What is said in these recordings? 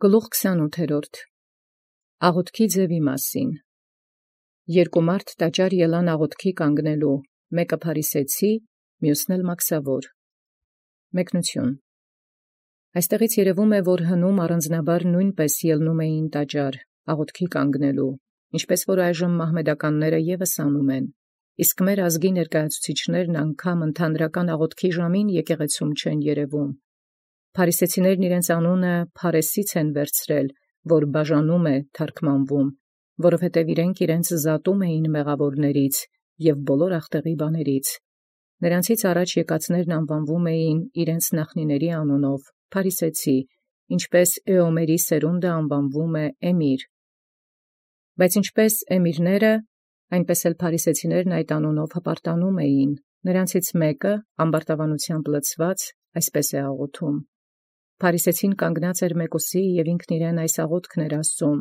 Գլուխ 28 Աղոթքի ձևի մասին. Երկու մարդ տաճար ելան աղոթքի կանգնելու, մեկը փարիսեցի, մյուսն էլ մաքսավոր։ Մեկնություն. Այստեղից երևում է, որ հնում առանձնաբար նույնպես ելնում էին տաճար աղոթքի կանգնելու, ինչպես որ այժմ մահմեդականները ևս անում են, իսկ մեր ազգի ներկայացուցիչներն անգամ ընդհանրական աղոթքի ժամին եկեղեցում չեն երևում։ Փարիսեցիներն իրենց անունը Փարեսից են վերցրել, որ բաժանում է թարգմանվում, որովհետև իրենց զատում էին մեղավորներից և բոլոր ախտեղի բաներից։ Նրանցից առաջ եկածներն անվանվում էին իրենց նախնիների անունով Փարիսեցի, ինչպես Էոմերի սերունդը անվանվում է Էմիր։ Բայց ինչպես Էմիրները, այնպես էլ Փարիսեցիներն այդ անունով հպարտանում էին, նրանցից մեկը ամբարտավանությամբ լցված այսպես է աղոթում. Փարիսեցին կանգնած էր մեկուսի և ինքն իրեն այս աղոթքն էր ասում.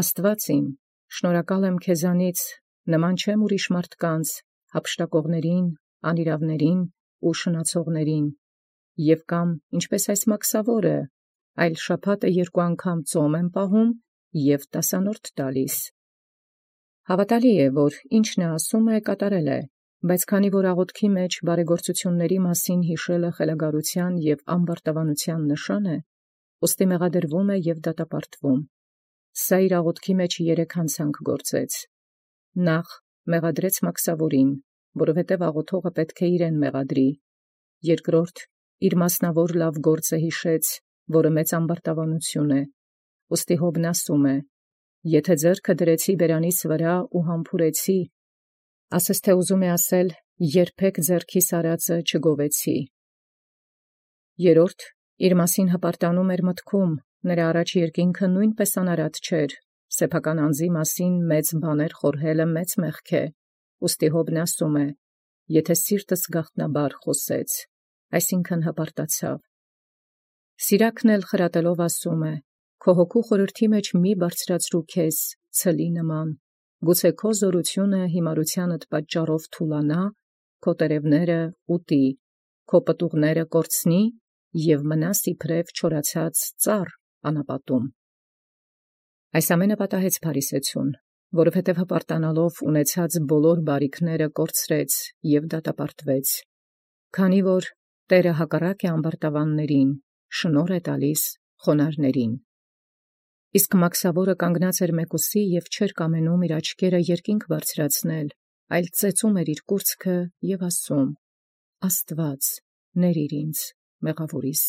Աստված իմ, շնորհակալ եմ քեզանից, նման չեմ ուրիշ մարդկանց, հափշտակողներին, անիրավներին ու շնացողներին, և կամ ինչպես այս մաքսավորը, այլ շաբաթը 2 անգամ ծոմ եմ պահում և 10 տալիս։ Հավատալի է, որ ինչն ասում է կատարել է, բայց քանի որ աղոթքի մեջ բարեգործությունների մասին հիշելը խելագարության և ամբարտավանության նշան է, ուստի մեղադրվում է և դատապարտվում։ Սա իր աղոթքի մեջ 3 հանցանք գործեց. Նախ մեղադրեց մաքսավորին, որովհետև աղոթողը պետք է իրեն մեղադրի. երկրորդ իր մասնավոր լավ գործը հիշեց, որը մեծ ամբարտավանություն է, ուստի Հոբն ասում է. եթե ձեռքը դրեցի բերանիս վրա ու համբուրեցի, ասես թե ուզում է ասել, երբեք ձեռքիս արածը չգովեցի։ Երորդ իր մասին հպարտանում էր մտքում, նրա առաջ երկինքը նույնպես անարատ չէր, սեփական անձի մասին մեծ բաներ խորհելը մեծ մեղք է, ուստի Հոբն ասում է. եթե սիրտս գաղտնաբար խոսեց, այսինքն հպարտացավ։ Սիրակն էլ խրատելով ասում է. քո հոգու խորհրդի մեջ մի բարձրացրու քեզ ցլի նման, գուցե քո զորությունը հիմարությանդ պատճառով թուլանա, քո տերևները ուտի, քո պտուղները կորցնի և մնաս իբրև չորացած ծառ անապատում։ Այս ամենը պատահեց Փարիսեցուն, որովհետև հպարտանալով ունեցած բոլոր բարիքները կորցրեց և դատապարտվեց, քանի որ Տերը հակառակ է ամբարտավաններին, շնորհ է տալիս խոնարհներին։ Իսկ մաքսավորը կանգնած էր մեկուսի և չէր կամենում իր աչքերը երկինք բարձրացնել, այլ ծեծում էր իր կուրծքը և ասում. Աստված, ներիր ինձ, մեղավորիս։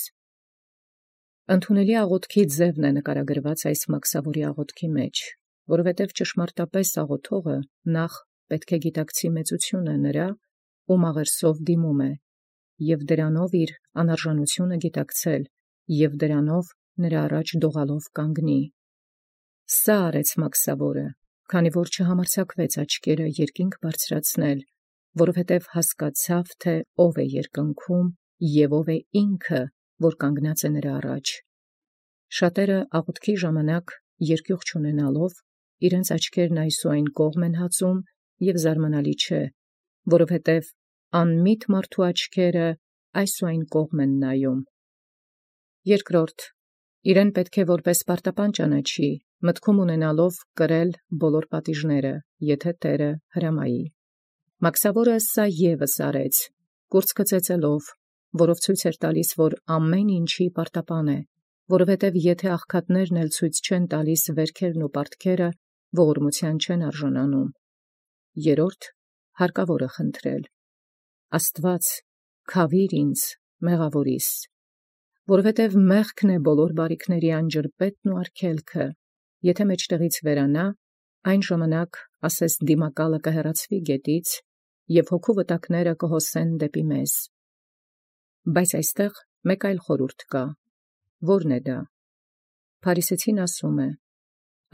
Ընդունելի աղոթքի ձևն է նկարագրված այս մաքսավորի աղոթքի մեջ, որովհետև ճշմարտապես աղոթողը նախ պետք է գիտակցի մեծությունը նրա, ում աղերսով դիմում է, և դրանով իր անարժանությունը գիտակցել, և դրանով նրա առաջ դողալով կանգնի։ Սա արեց մաքսավորը, քանի որ չհամարձակվեց աչքերը երկինք բարձրացնել, որովհետև հասկացավ, թե ով է երկնքում և ով է ինքը, որ կանգնած է նրա առաջ։ Շատերը աղոթքի ժամանակ երկյուղ չունենալով, իրենց աչքերն այս ու այն կողմ են հածում, և զարմանալի չէ, որովհետև անմիտ մարդու աչքերը այս ու այն կողմ են նայում։ Երկրորդ, իրեն պետք է որպես պարտապան ճանաչի, մտքում ունենալով կրել բոլոր պատիժները, եթե Տերը հրամայի։ Մաքսավորը սա ևս արեց, կուրծքը ծեծելով, որով ցույց էր տալիս, որ ամեն ինչի պարտապան է, որովհետև եթե աղքատներն էլ ցույց չեն տալիս վերքերն ու պարտքերը, ողորմության չեն արժանանում։ Երորդ, հարկավոր է խնդրել. Աստված, քավիր ինձ, մեղավորիս, որովհետև մեղքն է բոլոր բարիքների անջրպետն ու արգելքը, եթե մեջտեղից վերանա, այն ժամանակ ասես դիմակալը կհեռացվի գետից, և հոգու վտակները կհոսեն դեպի մեզ։ Բայց այստեղ մեկ այլ խորհուրդ կա, որն է դա։ Փարիսեցին ասում է.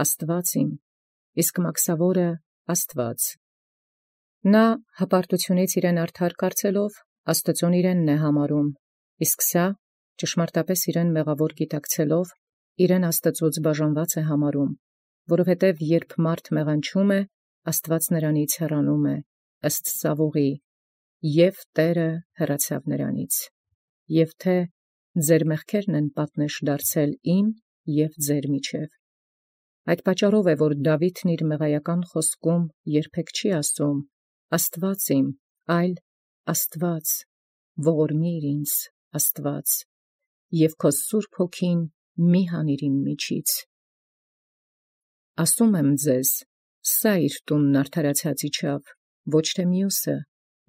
Աստված իմ, իսկ մաքսավորը Աստված։ Նա հպարտությունից իրեն արդար կարծելով, Աստծուն իրենն է համարում, իսկ սա ճշմարտապես իրեն մեղավոր գիտակցելով, իրեն Աստծուց բաժանված է համարում, որովհետև երբ մարդ մեղանչում է, Աստված նրանից հեռանում է, ըստ Սավուղի, և Տերը հեռացավ նրանից, և թե ձեր մեղքերն են պատնեշ դարձել իմ և ձեր միջև։ Այդ պատճառով է, որ Դաւիթն իր մեղայական խոսքում երբեք չի ասում. «Աստուած իմ», այլ «Աստուած, ողորմիր ինձ, Աստուած, և քո սուրբ հոգին մի հանիր իմ միջից»։ Ասում եմ ձեզ, սա իր տունն արդարացած իջավ, ոչ թե մյուսը,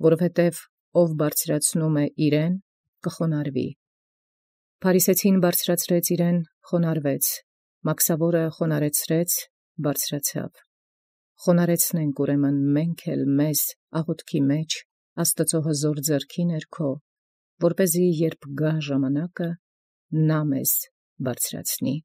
որովհետև ով բարձրացնում է իրեն, կխոնարհվի։ Փարիսեցին բարձրացրեց իրեն, խոնարհվեց, մաքսավորը խոնարհեցրեց, բարձրացավ։ Խոնարհեցնենք ուրեմն մենք էլ մեզ աղոթքի մեջ Աստծու հզոր ձեռքի ներքո, որպեսզի երբ գա ժամանակը, նա մեզ բարձրացնի։